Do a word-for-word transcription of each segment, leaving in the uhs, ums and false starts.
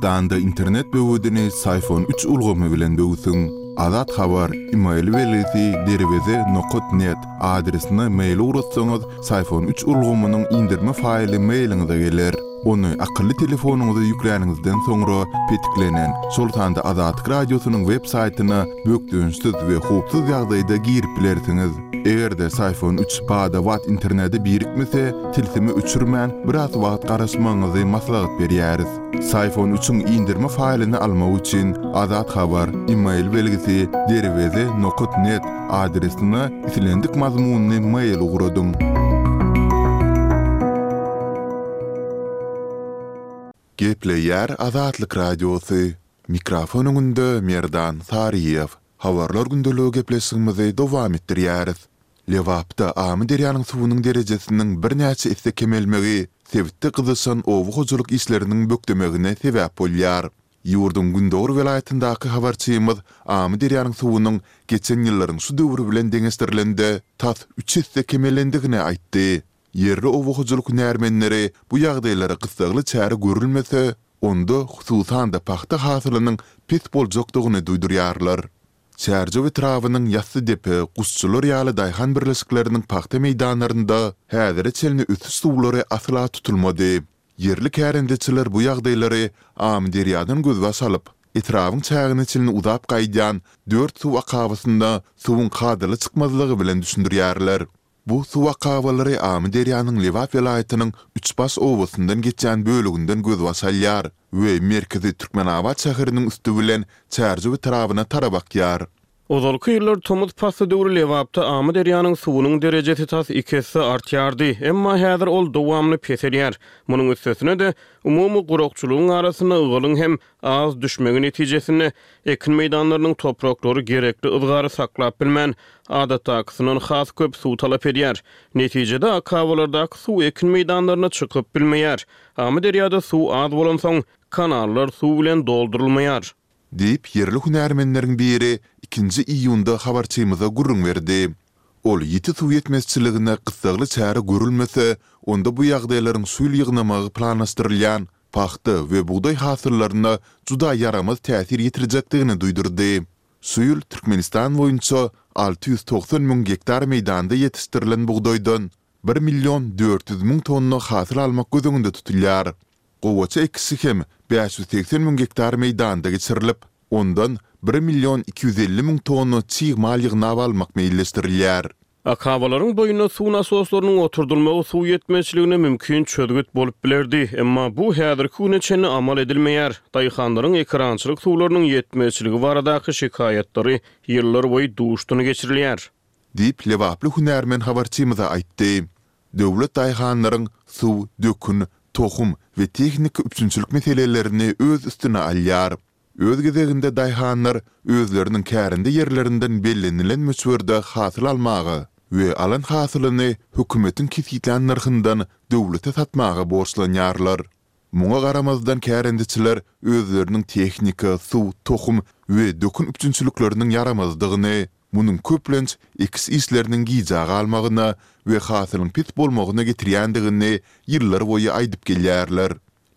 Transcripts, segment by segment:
Türkmenistanda internet böwedini Syfon üç ulgamy bilen böwsüň. Azat Habar, email belgisi derweze nokat net adresine mail ugratsaňyz, Syfon üç ulgamynyň indirme faýly mailiňize geler. Ony akylly telefonyňyza ýükläniňizden soňra petiklenen, şol sanda Azatlyk Radiosynyň web saýtyna bökdençsiz we howpsuz ýagdaýda girip bilersiňiz. Eger-de Syfon üç bada-bat internete birikmese, tilsimi öçürmän, biraz wagt garaşmagyňyzy maslahat berýäris. Syfon üçiň indirme faýlyny almak üçin Azat Habar, email belgisi derweze nokat net adresine islendik mazmunly mail ugradyň. Gepleýär Azatlyk Radiosy. Mikrofon öňünde Merdan Saryýew. Habarlar gündeligi gepleşigimizi dowam etdirýäris. Lebapda Amyderýanyň suwunyň derejesiniň birnäçe esse kemelmegi sebitde gyzyşan oba hojalyk işleriniň bökdemegine sebäp bolýar. Ýurduň gündogar welaýatyndaky habarçymyz Amyderýanyň suwunyň geçen ýyllaryň şu döwri bilen deňeşdirilende tas üç esse kemelendigini aýtdy. Ýerli oba hojalyk hünärmenleri bu ýagdaýlara gyssagly çäre görülmese, onda hususan-da pagta hasylynyň pes boljakdygyny duýdurýarlar. Çärjew etrabynyň Ýassydepe, Guşçular ýaly daýhan birleşikleriniň pagta meýdanlarynda häzire çenli ösüş suwlary asla tutulmady. Ýerli kärendeçiler bu ýagdaýlary Amyderýadan gözbaş alyp, etrabyň çägine çenli uzap gaýdýan dört suw akabasynda suwuň kadaly çykmazlygy bilen düşündirýärler. Bu suw akabalary Amyderýanyň Lebap welaýatynyň Üçbaş obasyndan geçýän böleginden gözbaş alýar we merkezi Türkmenabat şäheriniň üsti bilen Çärjew etrabyna tarap akýar. Ozalky ýyllar tomus pasly döwri Lebapda Amyderýanyň suwunyň derejesi tas iki esse artýardy, emma häzir ol dowamly peselýär. Munuň üstesine-de, umumy gurakçylygyň arasynda ygalyň hem az düşmegi netijesinde, ekin meýdanlarynyň topraklary gerekli yzgary saklap bilmän, adatdakysyndan has köp suw talap edýär. Netijede, akabalardaky suw ekin meýdanlaryna çykyp bilmeýär. Amyderýada suw az bolansoň, kanallar suw bilen doldurylmaýar. Diýip, ýerli hünärmenleriň biri ikinji iýunda habarçymyza gürrüň berdi. Ol ýiti suw ýetmezçiligine gyssagly çäre görülmese, onda bu ýagdaýlaryň şu ýyl ýygnamagy planlaşdyrylýan pagta we bugdaý hasyllaryna juda ýaramaz täsir ýetirjekdigini duýdurdy. Şu ýyl Türkmenistan boýunça alty ýüz togsan müň gektar meýdanda ýetişdirilen bugdaýdan bir million dört ýüz müň tonna hasyl almak göz öňünde tutulýar. Gowaça ekişi hem bäş ýüz segsen müň gektar meýdanda geçirilip, ondan bir million iki ýüz elli müň tonna çig mal ýygnap almak meýilleşdirilýär. Akabalaryň boýunda suw nasoslarynyň oturdylmagy suw ýetmezçiligine mümkin çözgüt bolup bilerdi, emma bu häzirki güne çenli amal edilmeýär. Daýhanlaryň ekerançylyk suwlarynyň ýetmezçiligi baradaky şikaýatlary ýyllarboýy duşdan geçirilýär. Diýip, lebaply hünärmen habarçymyza aýtdy. Döwlet daýhanlaryň suw, dökün, tohum we tehniki üpjünçilik meselelerini öz üstüne alýar. Öz gezeginde daýhanlar özleriniň kärende ýerlerinden bellenilen möçberde hasyl almaga we alan hasylyny hökümetiň kesgitlän nyrhyndan döwlete satmaga borçlanýarlar. Muňa garamazdan kärendeçiler özleriniň tehnika, suw, tohum we dökün üpjünçilikleriniň ýaramazdygyny, munuň köplenç ekiş işleriniň gijä galmagyna we hasylyň pes bolmagyna getirýändigini ýyllarboýy aýdyp gelýärler.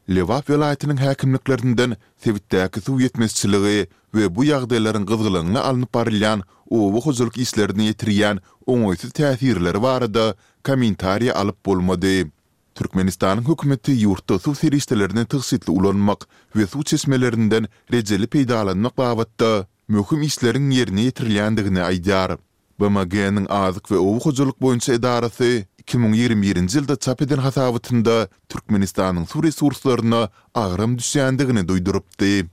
Lebap welaýatynyň häkimliklerinden sebitdäki suw ýetmezçiligi we bu ýagdaýlaryň gyzgalaňly alnyp barylýan oba hojalyk işlerine ýetirýän oňaýsyz täsirleri barada kommentariý alyp bolmady. Türkmenistanyň hökümeti ýurtda suw serişdelerini tygşytly ulanmak we suw çeşmelerinden rejeli peýdalanmak babatda möhüm işleriň ýerine ýetirilýändigini aýdýar. BMG-niň Azyk we oba hojalyk boýunça edarasy iki müň ýigrimi birinji ýylda çap eden hasabatynda Türkmenistanyň suw resurslaryna agram düşýändigini duýdurypdy.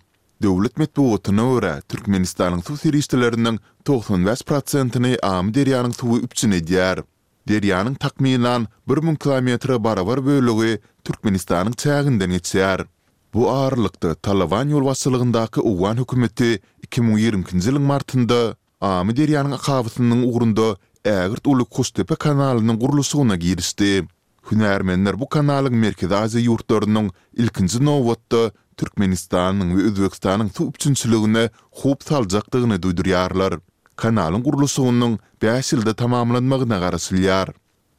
Döwlet metbugatyna görä, Türkmenistanyň suw serişdeleriniň togsan bäş prosentini Amyderýanyň suwy üpjün edýär. Derýanyň takmynan bir müň kilometre barabar bölegi Türkmenistanyň çäginden geçýär. Bu aralykda, Talyban ýolbaşçylygyndaky owgan hökümeti iki müň ýigrimi ikinji ýylyň martynda Amyderýanyň akabasynyň ugrunda ägirt uly Kuştepe kanalynyň gurluşygyna girişdi. Hünärmenler bu kanalyň Merkezi Aziýa ýurtlarynyň, ilkinji nobatda, Türkmenistanyň we Özbegistanyň suw üpjünçiligine howp saljakdygyny duýdurýarlar. Kanalyň gurluşygynyň bäş ýylda tamamlanmagyna garaşylýar.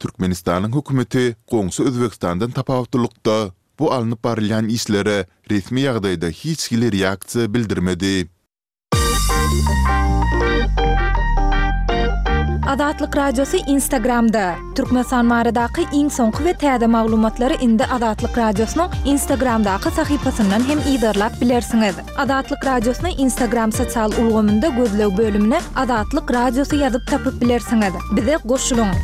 Türkmenistanyň hökümeti goňşy Özbegistandan tapawutlylykda, bu alnyp barylýan işlere resmi ýagdaýda hiç hili reaksiýa bildirmedi. Azatlyk Radiosy Instagramda! Türkmenistan baradaky iň soňky we täze maglumatlary indi Azatlyk Radiosynyň Instagramdaky sahypasyndan hem yzarlap bilersiňiz. Azatlyk Radiosyny Instagram sosial ulgamynda gözleg bölümine Azatlyk Radiosy ýazyp tapyp bilersiňiz. Bize goşulyň!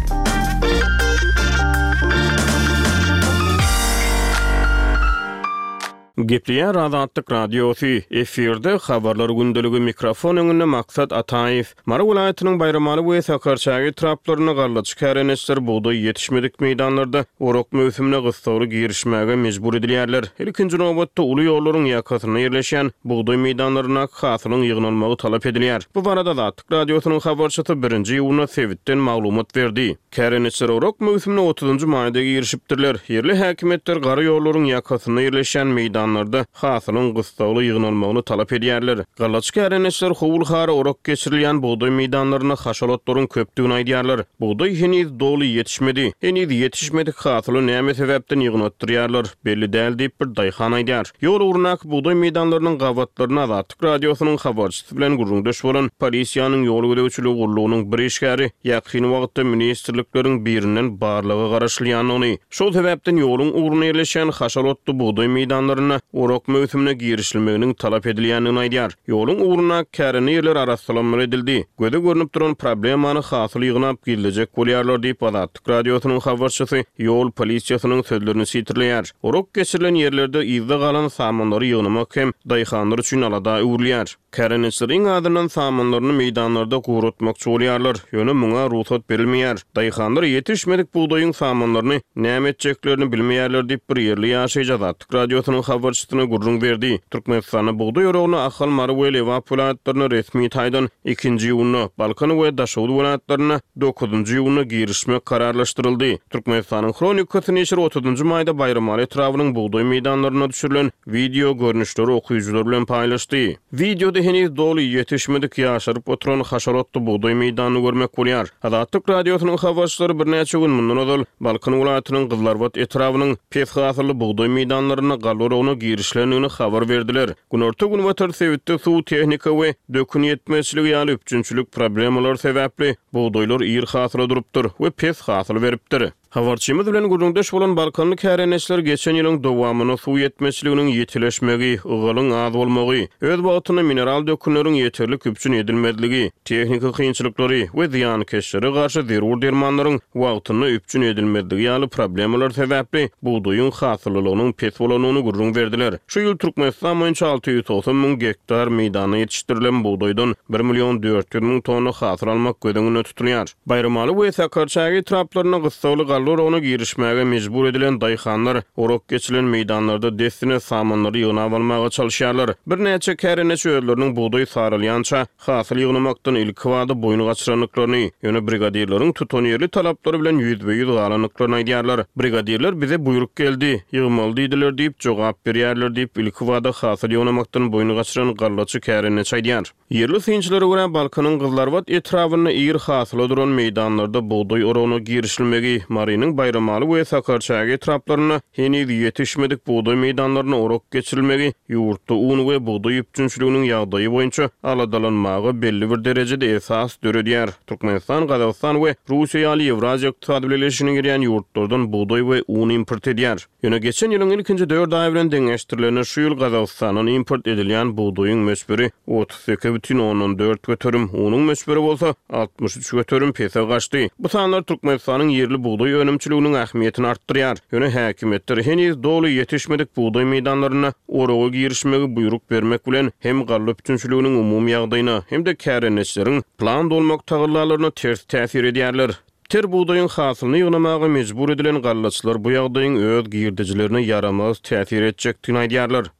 Gepleýär Azatlyk Radiosy, efirde Habarlar gündeligi, mikrofon öňünde Maksat Ataýew. Mary welaýatynyň Baýramaly we Sakarçäge etraplarynda gallaçy kärendeçiler bugdaý ýetişmedik meýdanlarda orak möwsümine gyssagly girişmäge mejbur edilýärler. Ilkinji nobatda uly ýollaryň ýakasynda ýerleşýän bugdaý meýdanlaryndaky hasylyň ýygnalmagy talap edilýär. Bu barada Azatlyk Radiosynyň habarçysy birinji iýunda sebitden maglumat berdi. Kärendeçiler orak möwsümine otuzynjy maýda girişipdirler. Ýerli häkimiýetler gara ýollaryň ýakasynda ýerleşýän meýdanlarda hasylyň gyssagly ýygnalmagyny talap edýärler. Gallaçy kärendeçiler howul-hara orak geçirilýän bugdaý meýdanlarynda haşal otlaryň köpdügini aýdýarlar. Bugdaý heniz doly ýetişmedi. Heniz ýetişmedik hasyly näme sebäpden ýygnatdyrýarlar, belli däl diýip, bir daýhan aýdýar. Ýol ugrundaky bugdaý meýdanlarynyň gabatlaryna Azatlyk Radiosynyň habarçysy bilen gürrüňdeş bolan polisiýanyň ýol gözegçiligi gullugynyň bir işgäri ýakyn wagtda ministrlikleriň birinden barlaga garaşylýandygyny, şol sebäpden ýoluň ugrunda ýerleşýän haşal otly bugdaý meýdanlarynda orak möwsümine girişilmeginiň talap edilýändigini aýdýar. Ýoluň ugrundaky kärende ýerler arassalanmaly edildi. Göze görnüp duran problemany hasyl ýygnap gizlejek bolýarlar diýip, Azatlyk Radiosynyň habarçysy ýol polisiýasynyň sözlerini sitirleýär. Orak geçirilen ýerlerde yzda galan samanlary ýygnamak hem daýhanlar üçin alada öwrülýär. Kärendeçiler iň azyndan samanlaryny meýdanlarda guratmakçy bolýarlar, ýöne muňa rugsat berilmeýär. Daýhanlar ýetişmedik bugdaýyň samanlaryny näme etjeklerini bilmeýärler diýip, bir ýerli ýaşaýjy Azatlyk Radiosynyň habarçysyna gürrüň berdi. Türkmenistanda bugdaý oragyna Ahal, Mary we Lebap welaýatlarynda resmi taýdan ikinji iýunda, Balkan we Daşoguz welaýatlarynda dokuzynjy iýunda girişmek kararlaşdyryldy. Türkmenistanyň Hronikasy neşiri otuzynjy maýda Baýramaly etrabynyň bugdaý meýdanlarynda düşürilen wideo görnüşleri okyjylar bilen paýlaşdy. Wideoda heniz doly ýetişmedik ýaşaryp oturan haşal otly bugdaý meýdanyny görmek bolýar. Azatlyk Radiosynyň habarçylary birnäçe gün mundan ozal Balkan welaýatynyň Gyzlarbat etrabynyň pes hasylly bugdaý meýdanlarynda galla oragyna girişilendigini habar berdiler. Günorta-günbatar sebitde suw, tehnika we dökün ýetmezçiligi ýaly üpjünçilik problemalary sebäpli bugdaýlar ir hasyla durupdyr we pes hasyl beripdir. Habarçymyz bilen gürrüňdeş bolan balkanly kärendeçiler geçen ýylyň dowamynda suw ýetmezçiliginiň ýitileşmegi, ygalyň az bolmagy, öz wagtynda mineral dökünleriň ýeterlik üpjün edilmezligi, tehniki kynçylyklary we zyýankeşlere garşy zerur dermanlaryň wagtynda üpjün edilmezligi ýaly problemalar sebäpli bugdaýyň hasyllylygynyň pes bolandygyny gürrüň berdiler. Şu ýyl Türkmenistan boýunça alty ýüz togsan müň gektar meýdanda ýetişdirilen bugdaýdan bir million dört ýüz müň tonna hasyl almak göz öňünde tutulýar. Baýramaly we Sakarçäge etraplarynda gyssagly galla oragyna girişmäge mejbur edilen daýhanlar orak geçirilen meýdanlarda dessine samanlary ýygnap almaga çalyşýarlar. Birnäçe kärendeçi özleriniň bugdaý saralýança hasyl ýygnamakdan ilkibada boýun gaçyrandyklaryny, ýöne brigadirleriň tutanýerli talaplary bilen ýüzbe-ýüz galandyklaryny aýdýarlar. Brigadirler bize buýruk geldi, ýygmaly diýdiler diýip jogap berýärler diýip, ilkibada hasyl ýygnamakdan boýun gaçyran gallaçy kärendeçi aýdýar. Ýerli synçylara görä, Balkanyň Gyzlarbat etrabynda ir hasyla duran meýdanlarda bugdaý oragyna girişilmegi, Marynyň Baýramaly we Sakarçäge etraplarynda heniz ýetişmedik bugdaý meýdanlaryna orak geçirilmegi ýurtda un we bugdaý üpjünçiliginiň ýagdaýy boýunça aladalanmaga belli bir derejede esas döredýär. Türkmenistan, Gazagystan we Russiýa ýaly Ýewraziýa ykdysady bileleşigine girýän ýurtlardan bugdaý we un import edýär. Ýöne geçen ýylyň ilkinji dört aýy bilen deňeşdirilende şu ýyl Gazagystandan import edilýän bugdaýyň möçberi otuz sekiz bütin ondan dört göterim, unuň möçberi bolsa altmyş üç göterim pese gaçdy. Bu sanlar Türkmenistanyň ýerli bugdaý önümçiliginiň ähmiýetini artdyrýar. Ýöne häkimiýetler heniz doly ýetişmedik bugdaý meýdanlarynda oraga girişmegi buýruk bermek bilen hem galla üpjünçiliginiň umumy ýagdaýyna, hem-de kärendeçileriň plan dolmak tagallalaryna ters täsir edýärler. Ter bugdaýyň hasylyny ýygnamaga mejbur edilen gallaçylar bu ýagdaýyň öz girdejilerine ýaramaz täsir etjekdigini aýdýarlar.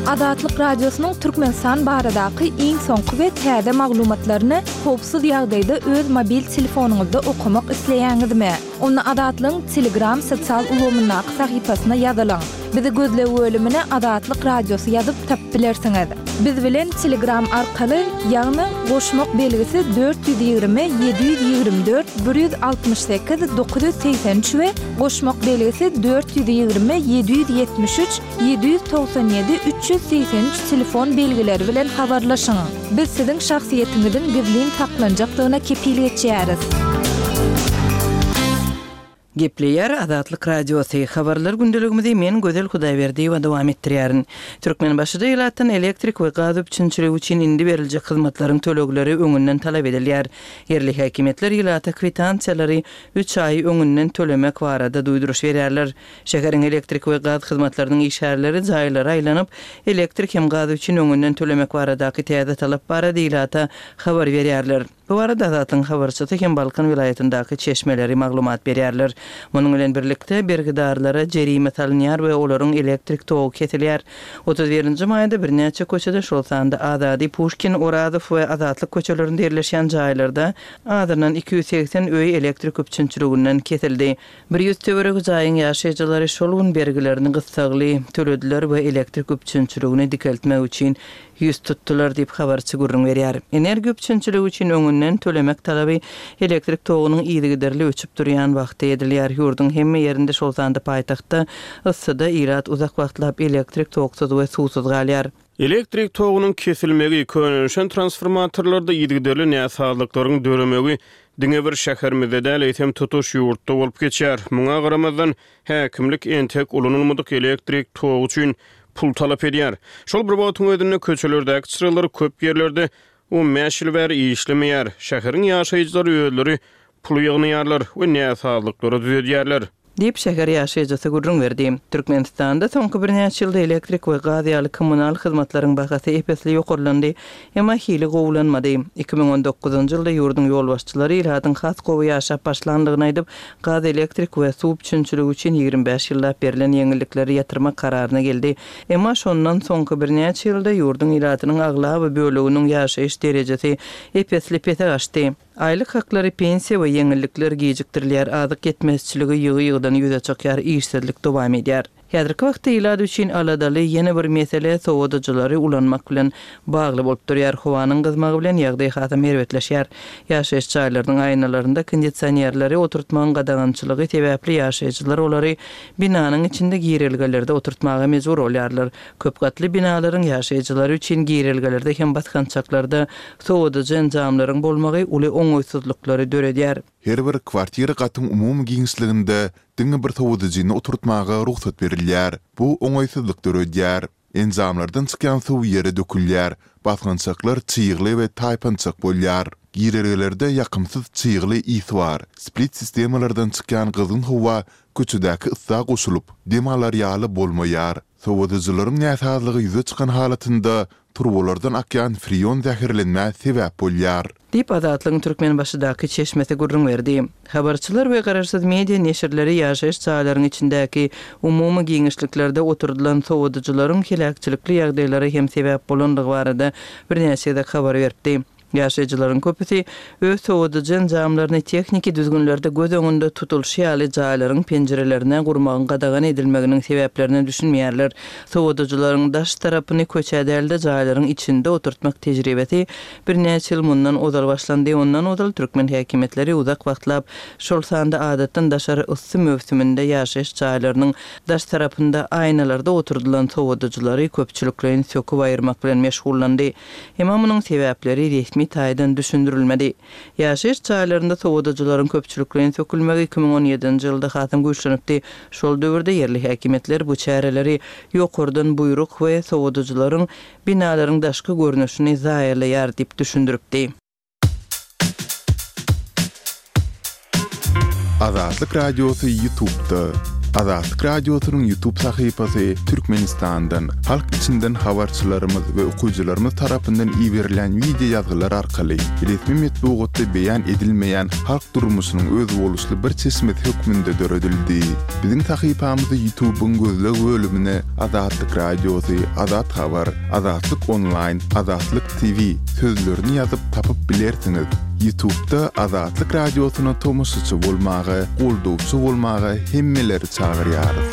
Azatlyk Radiosynyň Türkmenistan baradaky iň soňky we täze maglumatlaryny howpsuz ýagdaýda öz mobil telefonyňyzda okamak isleýäňizmi? Onda Azatlygyň Telegram sosial ulgamyndaky sahypasyna ýazylyň. Bizi gözleg bölümine Azatlyk Radiosy ýazyp tapyp bilersiňiz. Biz bilen Telegram arkaly, ýagny goşmak belgisi dört ýüz ýigrimi ýedi ýüz ýigrimi dört bir ýüz altmyş sekiz dokuz ýüz segsen üç we goşmak belgisi dört ýüz ýigrimi ýedi ýüz ýetmiş üç ýedi ýüz togsan ýedi üç ýüz segsen üç telefon belgileri bilen habarlaşyň. Biz siziň şahsyýetiňiziň gizlin saklanjakdygyna kepil geçýäris. Gepleýär Azatlyk Radiosy, Habarlar gündeligimizi men Gözel Hudaýberdiýewa dowam etdirýärin. Türkmenbaşyda ilatdan elektrik we gaz üpjünçiligi üçin indi beriljek hyzmatlaryň tölegleri öňünden talap edilýär. Ýerli häkimiýetler ilata kwitansiýalary üç aý öňünden tölemek barada duýduryş berýärler. Şäheriň elektrik we gaz hyzmatlarynyň işgärleri jaýlara aýlanyp, elektrik hem gaz üçin öňünden tölemek baradaky täze talap barada ilata habar berýärler. Bu barada Azatlygyň habarçysy hem Balkan welaýatyndaky çeşmeleri maglumat berýärler. Munuň bilen birlikde, bergidarlara jerime salynýar we olaryň elektrik togy kesilýär. Otuz birinji maýda birnäçe köçede, şol sanda Azady, Puşkin, Orazow we Azatlyk köçelerinde ýerleşýän jaýlarda azyndan iki ýüz segsen öý elektrik üpjünçiliginden kesildi. Bir ýüz töweregi jaýyň ýaşaýjylary şol gün bergilerini gyssagly tölediler we elektrik üpjünçiligini dikeltmek üçin ýüz tutdular diýip, habarçy gürrüň berýär. Energiýa üpjünçiligi üçin öňünden tölemek talaby elektrik togunyň yzygiderli öçüp durýan wagty edilýär. Ýurduň hemme ýerinde, şol sanda paýtagtda yssyda ilat uzak wagtlap elektrik toksuz we suwsuz galýar. Elektrik togunyň kesilmegi, könelişen transformatorlarda yzygiderli näsazlyklaryň döremegi diňe bir şäherimizde däl, eýsem tutuş ýurtda bolup geçýär. Muňa garamazdan, häkimlik entek ulanylmadyk elektrik togy üçin pul talap edýär. Şol bir wagtyň özünde köçelerdäki çyralar köp ýerlerde on bäş ýyl bäri işlemeýär. Şäheriň ýaşaýjylary özleri pul ýygnaýarlar we näsazlyklary düzedýärler. Diýip, şäher ýaşaýjysy gürrüň berdi. Türkmenistanda soňky birnäçe ýylda elektrik we gaz ýaly kommunal hyzmatlaryň bahasy ep-esli ýokarlandy, emma hili gowulanmady. Iki müň on dokuzynjy ýylda ýurduň ýolbaşçylary ilatyň has gowy ýaşap başlandygyny aýdyp, gaz, elektrik we suw üpjünçiligi üçin ýigrimi bäş ýyllap berlen ýeňillikleri ýatyrmak kararyna geldi. Emma şondan soňky birnäçe ýylda ýurduň ilatynyň aglaba böleginiň ýaşaýyş derejesi ep-esli pese gaçdy. Aýlyk haklary, pensiýa we ýeňillikler gijikdirilýär, azyk ýetmezçiligi ýygy-ýygydan ýüze çykýar, işsizlik dowam edýär. Häzirki wagtda ilat üçin aladaly ýene bir mesele sowadyjylary ulanmak bilen bagly bolup durýar. Howanyň gyzmagy bilen ýagdaý hasam erbetleşýär. Ýaşaýyş jaýlarynyň aýnalarynda kondisionerleri oturtmagyň gadagançylygy sebäpli ýaşaýjylar olary binanyň içinde girelgelerde oturtmaga mejbur bolýarlar. Köp gatly binalaryň ýaşaýjylary üçin girelgelerde hem basgançaklarda sowadyjy enjamlaryň bolmagy uly oňaýsyzlyklary döredýär. Her bir kwartira gatyň umumy giňişliginde diňe bir sowadyjyny oturtmaga rugsat berilýär. Bu oňaýsyzlyk döredýär. Enjamlardan çykýan suw ýere dökülýär, basgançaklar çygly we taýpançak bolýar. Girelgelerde ýakymsyz çygly ys bar. Split sistemalardan çykýan gyzgyn howa köçedäki yssa goşulyp, dem alar ýaly bolmaýar. Sowadyjylaryň näsazlygy ýüze çykan halatynda turbalardan akýan freon zäherlenmä sebäp bolýar. Diýip, Azatlygyň Türkmenbaşydaky çeşmesi gürrüň berdi. Habarçylar we garaşsyz media neşirleri ýaşaýyş jaýlaryň içindäki umumy giňişliklerde oturdylan sowadyjylaryň heläkçilikli ýagdaýlara hem sebäp bolandygy barada birnäçe gezek habar beripdi. Ýaşaýjylaryň köpüsi öz sowadyjy enjamlaryny tehniki düzgünlerde göz öňünde tutulyşy ýaly jaýlaryň penjirelerine gurmagyň gadagan edilmeginiň sebäplerine düşünmeýärler. Sowadyjylaryň daş tarapyny köçä däl-de jaýlaryň içinde oturtmak tejribesi birnäçe ýyl mundan ozal başlandy. Ondan ozal türkmen häkimiýetleri uzak wagtlap, şol sanda adatdan daşary yssy möwsüminde ýaşaýyş jaýlarynyň daş tarapynda aýnalarda oturdylan sowadyjylary köpçülikleýin söküp aýyrmak bilen meşgullandy. Emma munuň sebäpleri resmi taýdan düşündirilmedi. Ýaşaýyş jaýlarynda sowadyjylaryň köpçülikleýin sökülmegi iki müň on ýedinji ýylda hasam güýçlenipdi. Şol döwürde ýerli häkimiýetler bu çäreleri ýokardan buýruk we sowadyjylaryň binalaryň daşky görnüşini zaýalaýar diýip düşündiripdi. Azatlyk Radiosy YouTube'da. Azatlyk Radiosynyň YouTube sahypasy Türkmenistandan, halk içinden habarçylarymyz we okyjylarymyz tarapyndan iberilen video ýazgylar arkaly resmi metbugatda beýan edilmeýän halk durmuşynyň özboluşly bir çeşmesi hökmünde döredildi. Biziň sahypamyzy YouTube'yň gözleg bölümine Azatlyk Radiosy, Azat Habar, Azatlyk Online, Azatlyk T V sözlerini ýazyp tapyp bilersiňiz. YouTube'da Azatlyk Radiosyna tomaşaçy bolmaga, goldawçy bolmaga hemmeleri çagyrýarys.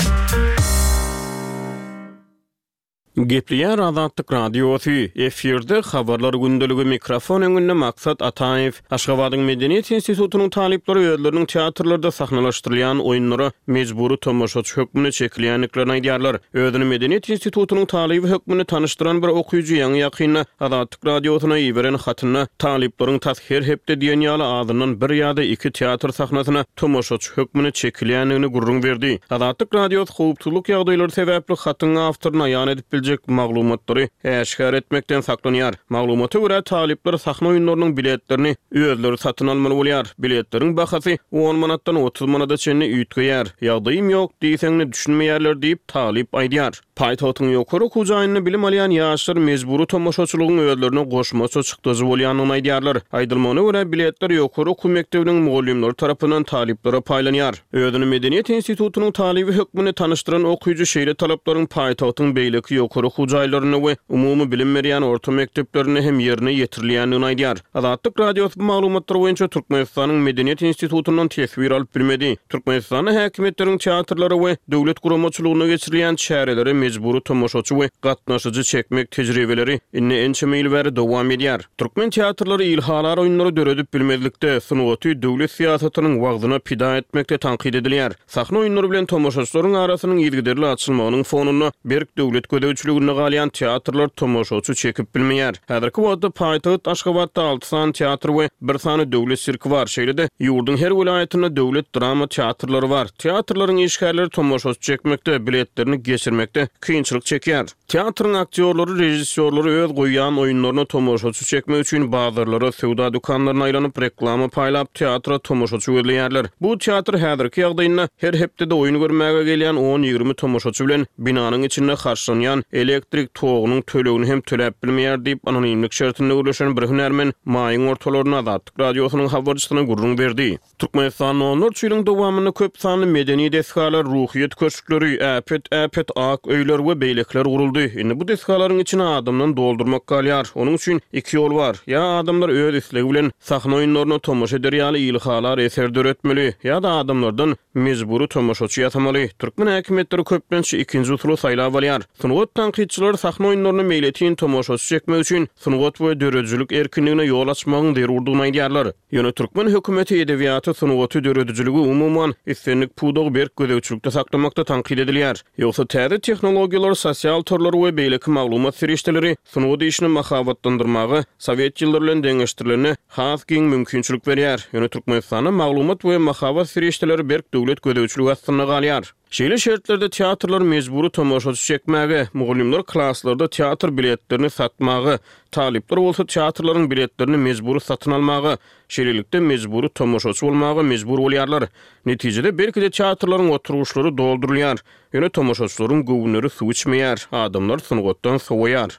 Gepleýär Azatlyk Radiosy, efirde Habarlar gündeligi, mikrofon öňünde Maksat Ataýew. Aşgabadyň Medeniýet institutynyň talyplary özleriniň teatrlarda sahnalaşdyrylýan oýunlara mejbury tomaşaçy hökmünde çekilýändiklerini aýdýarlar. Özüni Medeniýet institutynyň talyby hökmünde tanyşdyran bir okyjy ýaňy-ýakynda Azatlyk Radiosyna iberen hatynda talyplaryň tas her hepde diýen ýaly azyndan bir ýa-da iki teatr sahnasyna tomaşaçy hökmünde çekilýändigini gürrüň berdi. Azatlyk Radiosy howpsuzlyk ýagdaýlary sebäpli hatyň awtoryny aýan edip biljek maglumatlary äşgär etmekden saklanýar. Maglumata görä, talyplar sahna oýunlarynyň biletlerini özleri satyn almaly bolýar. Biletleriň bahasy on manatdan otuz manada çenli üýtgeýär. Ýagdaýym ýok diýseň-de düşünmeýärler diýip, talyp aýdýar. Paýtagtyň ýokary okuw jaýynda bilim alýan ýaşlar mejbury tomaşaçylygyň özlerine goşmaça çykdajy bolýandygyny aýdýarlar. Aýdylmagyna görä, biletler ýokary okuw mekdebiniň mugallymlary tarapyndan talyplara paýlanýar. Özüni Medeniýet institutynyň talyby hökmünde tanyşdyran okyjy şeýle talaplaryň paýtagtyň beýleki ýokary okuw jaýlarynda we umumy bilim berýän orta mekdeplerinde hem ýerine ýetirilýändigini aýdýar. Azatlyk Radiosy bu maglumatlar boýunça Türkmenistanyň Medeniýet institutyndan teswir alyp bilmedi. Türkmenistanda häkimiýetleriň teatrlara we döwlet guramaçylygynda geçirilýän çärelere mejbury tomaşaçy we gatnaşyjy çekmek tejribeleri indi ençeme ýyl bäri dowam edýär. Türkmen teatrlary ilhalar oýunlary döredip bilmezlikde, sungaty döwlet syýasatynyň wagzyna pida etmekde tankyt edilýär. Sahna oýunlary bilen tomaşaçylaryň arasynyň yzygiderli açylmagynyň fonunda berk döwlet gözegçiliginde galýan teatrlar tomaşaçy çekip bilmeýär. Häzirki wagtda paýtagt Aşgabatda alty sany teatr we bir sany döwlet sirki bar. Şeýle-de, ýurduň her welaýatynda döwlet drama teatrlary bar. Teatrlaryň işgärleri tomaşaçy çekmekde, biletlerini geçirmekde kynçylyk çekýär. Teatryň aktýorlary, režissýorlary öz goýýan oýunlaryna tomaşaçy çekmek üçin bazarlara, söwda dükanlaryna aýlanyp, reklama paýlap, teatra tomaşaçy gözleýärler. Bu teatr häzirki ýagdaýynda her hepdede oýun görmäge gelýän on-ýigrimi tomaşaçy bilen binanyň içinde harçlanýan elektrik togunyň tölegini hem töläp bilmeýär diýip, anonimlik şertinde gürleşen bir hünärmen maýyň ortalarynda Azatlyk Radiosynyň habarçysyna gürrüň berdi. Türkmenistanda onlarça ýylyň dowamynda köp sanly medeni desgalar, ruhyýet köşkleri, äpet-äpet ak öýler we beýlekiler guruldy. Indi bu desgalaryň içini adamdan doldurmak galýar. Onuň üçin iki ýol bar. Ýa adamlar öz islegi bilen sahna oýunlaryna tomaşa eder ýaly ilhalar eser döretmeli, ýa-da adamlardan mejbury tomaşaçy ýasamaly. Türkmen häkimiýetleri köplenç ikinji usuly saýlap alýar. Sungat tankytçylary sahna oýunlaryna meýletin tomaşaçy çekmek üçin sungat we döredijilik erkinligine ýol açmagyň zerurdygyny aýdýarlar. Ýöne türkmen hökümeti edebiýaty, sungaty, döredijiligi, umuman, islendik pudagy berk gözegçilikde saklamakda tankyt edilýär. Ýogsa täze tehnologiýalar, sosial torlar we beýleki maglumat serişdeleri sungat işini mahabatlandyrmaga sowet ýyllary bilen deňeşdirilende has giň mümkinçilik berýär. Ýöne Türkmenistanda maglumat we mahabat serişdeleri berk döwlet gözegçiligi astynda galýar. Şeýle şertlerde teatrlar mejbury tomaşaçy çekmäge, mugallymlar klaslarda teatr biletlerini satmaga, talyplar bolsa teatrlaryň biletlerini mejbury satyn almaga, şeýlelikde mejbury tomaşaçy bolmaga mejbur bolýarlar. Netijede belki-de teatrlaryň oturgyçlary doldurylýar, ýöne tomaşaçylaryň göwünleri suw içmeýär, adamlar sungatdan sowaýar.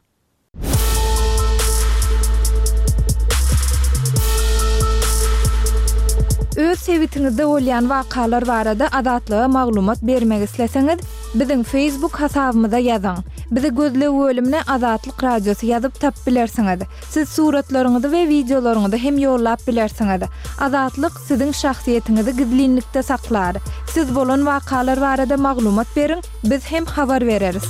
Öz sebitiňizde bolýan wakalar barada Azatlyga maglumat bermek isleseňiz, biziň Facebook hasabymyza ýazyň. Bizi gözleg bölümine Azatlyk Radiosy ýazyp tapyp bilersiňiz. Siz suratlaryňyzy we wideolaryňyzy hem ýollap bilersiňiz. Azatlyk siziň şahsyýetiňizi gizlinlikde saklar. Siz bolan wakalar barada maglumat beriň, biz hem habar bereris.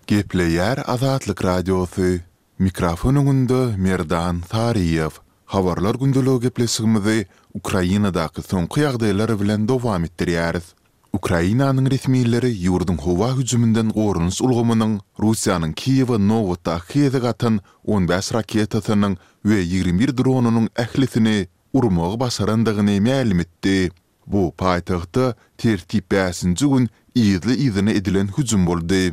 Gepleýär Azatlyk Radiosy. Mikrofon öňünde Merdan Saryýew. Habarlar gündeligi gepleşigimizi Ukrainadaky soňky ýagdaýlar bilen dowam etdirýäris. Ukrainanyň resmileri ýurduň howa hüjüminden goranyş ulgamynyň Russiýanyň Kiýewe nobatdaky gezek atan on bäş raketasynyň we ýigrimi bir dronynyň ählisini urmagy başarandygyny mälim etdi. Bu paýtagtda tertip bäşinji gün yzly-yzyna edilen hüjüm boldy.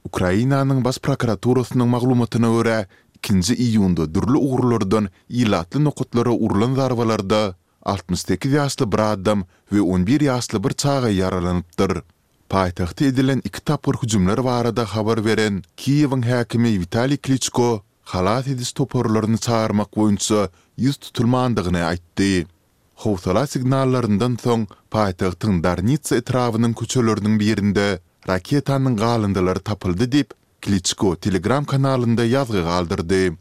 Ukrainanyň Baş prokuraturasynyň maglumatyna görä, ikinji iýunda dürli ugurlardan ilatly nokatlara urlan zarbalarda altmyş sekiz ýaşly bir adam we on bir ýaşly bir çaga ýaralanypdyr. Paýtagta edilen iki tapgyr hüjümler barada habar beren Kiýewiň häkimi Witaliý Kliçko halas ediş toparlaryny çagyrmak boýunça ýüz tutulmandygyny aýtdy. Howsala signallaryndan soň paýtagtyň Darnitsa etrabynyň köçeleriniň birinde raketanyň galyndylary tapyldy diýip, Kliçko Telegram kanalynda ýazgy galdyrdy.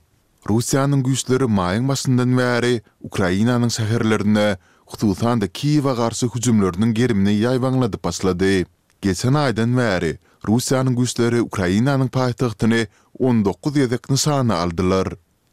Russiýanyň güýçleri maýyň başyndan bäri Ukrainanyň şäherlerine, hususan-da Kiýewe garşy hüjümleriniň gerimini ýaýbaňladyp başlady. Geçen aýdan bäri Russiýanyň güýçleri Ukrainanyň paýtagtyny on dokuz gezek nyşana aldylar.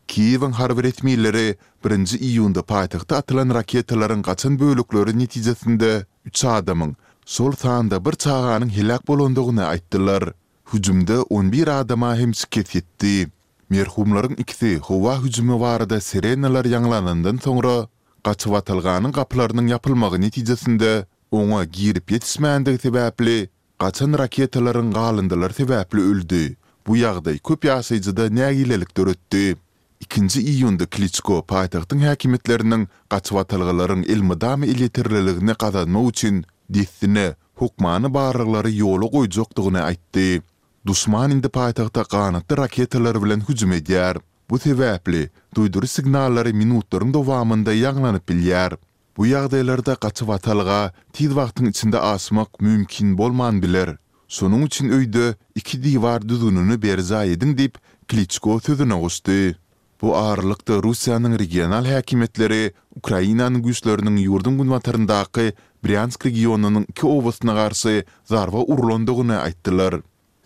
Kiýewiň harby resmileri birinji iýunda paýtagta atylan raketalaryň gaçan bölekleri netijesinde üç adamyň, şol sanda bir çaganyň heläk bolandygyny aýtdylar. Hüjümde on bir adama hem şikes ýetdi. Merhumlaryň ikisi howa hüjümi barada sirenalar ýaňlanandan soňra, gaçybatalganyň gapylarynyň ýapylmagy netijesinde oňa girip ýetişmändigi sebäpli, gaçan raketalaryň galyndylary sebäpli öldi. Bu ýagdaý köp ýaşaýjyda nägilelik döretdi. Ikinji iýunda Kliçko paýtagtyň häkimiýetleriniň gaçybatalgalaryň elmydama elýeterliligini gazanmak üçin dessine hökmany barlaglary ýola goýjakdygyny aýtdy. Duşman indi paýtagta ganatly raketalar bilen hüjüm edýär. Bu sebäpli, duýduryş signallary minutlaryň dowamynda ýaňlanyp bilýär. Bu ýagdaýlarda gaçybatalga tiz wagtyň içinde aşmak mümkin bolman biler. Şonuň üçin öýde iki diwar düzgünini berjaý ediň diýip, Kliçko sözüne goşdy. Bu aralykda, Russiýanyň regional häkimiýetleri Ukrainanyň güýçleriniň ýurduň günbataryndaky Brýansk regionynyň iki obasyna garşy zarba urlandygyny aýtdylar.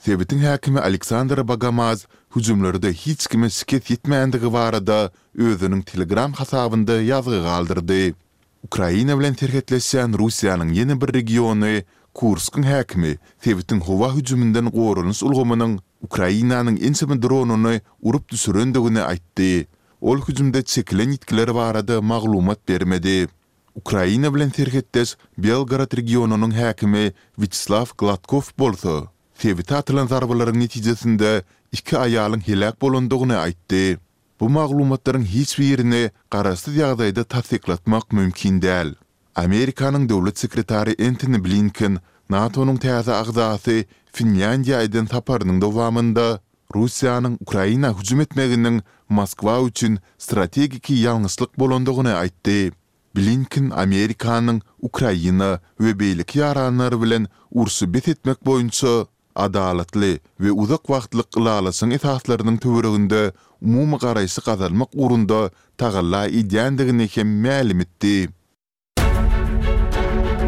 Sebitiň häkimi Aleksandr Bogomaz hüjümlerde hiç kime şikes ýetmändigi barada özüniň Telegram hasabynda ýazgy galdyrdy. Ukraina bilen serhetleşýän Russiýanyň ýene bir regiony Kurskyň häkimi sebitiň howa hüjüminden goranyş ulgamynyň Ukrainanyň ençeme dronyny urup düşürendigini aýtdy. Ol hüjümde çekilen ýitgiler barada maglumat bermedi. Ukraina bilen serhetdeş Belgorod regionynyň häkimi Wýaçeslaw Gladkow bolsa, sebite atylan zarbalaryň netijesinde iki aýalyň heläk bolandygyny aýtdy. Bu maglumatlaryň hiç birini garaşsyz ýagdaýda tassyklatmak mümkin däl. Amerikanyň döwlet sekretary Entoni Blinken NATO-nyň täze agzasy Finlýandiýa eden saparynyň dowamynda Russiýanyň Ukraina hüjüm etmeginiň Moskwa üçin strategiki ýalňyşlyk bolandygyny aýtdy. Blinken Amerikanyň Ukraina we beýleki ýaranlary bilen urşy bes etmek boýunça adalatly we uzak wagtlyk ylalaşygyň esaslarynyň töwereginde umumy garaýşy gazanmak ugrunda tagalla edýändigini hem mälim etdi.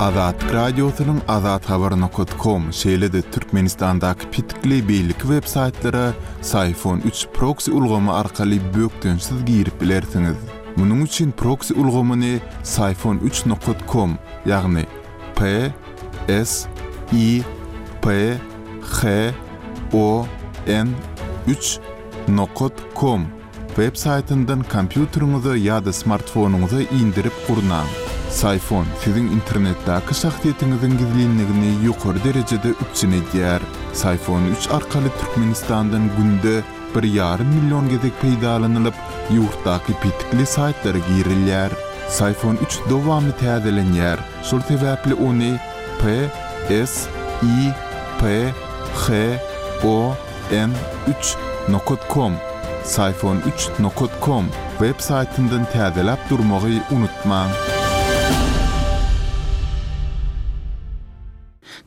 Azatlyk Radiosynyň Azathabar nokat kom, şeýle-de Türkmenistandaky petikli beýleki web-saýtlara Syfon üç proksi ulgamy arkaly bökdençsiz girip bilersiňiz. Munuň üçin proksi ulgamyny Syfon üç nokat kom, ýagny P S I P H O N üç nokat kom web saýtyndan kompýuteriňize ýa-da smartfonyňyza indirip gurnaň. Syfon siziň internetdäki şahsyýetiňiziň gizlinligini ýokary derejede üpjün edýär. Syfon üç arkaly Türkmenistandan günde bir ýarym million gezek peýdalanylyp, ýurtdaky petikli saýtlara girilýär. Syfon üç dowamly täzelenýär, şol sebäpli ony P S I P H O N üç nokat kom, Syfon üç nokat kom web saýtyndan täzeläp durmagy unutmaň.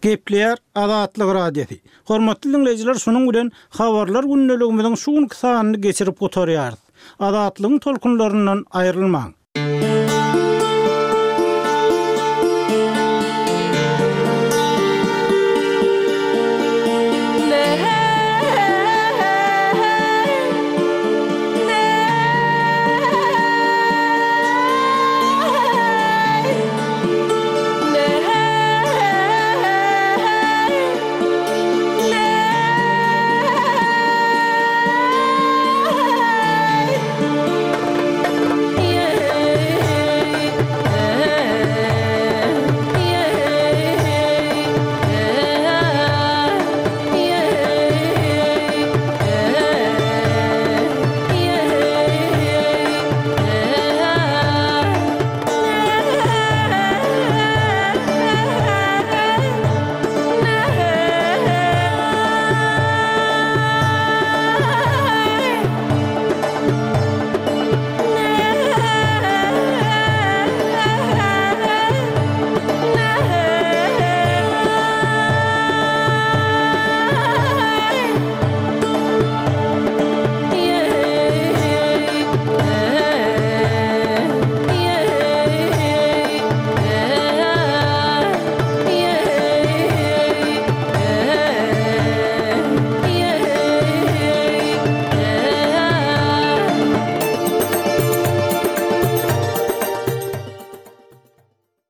Gepleýär Azatlyk Radiosy. Hormatly dinleýjiler, şunuň bilen habarlar gündeligimiziň şu günki sanyny geçirip gutarýarys. Azatlygyň tolkunlaryndan aýrylmaň.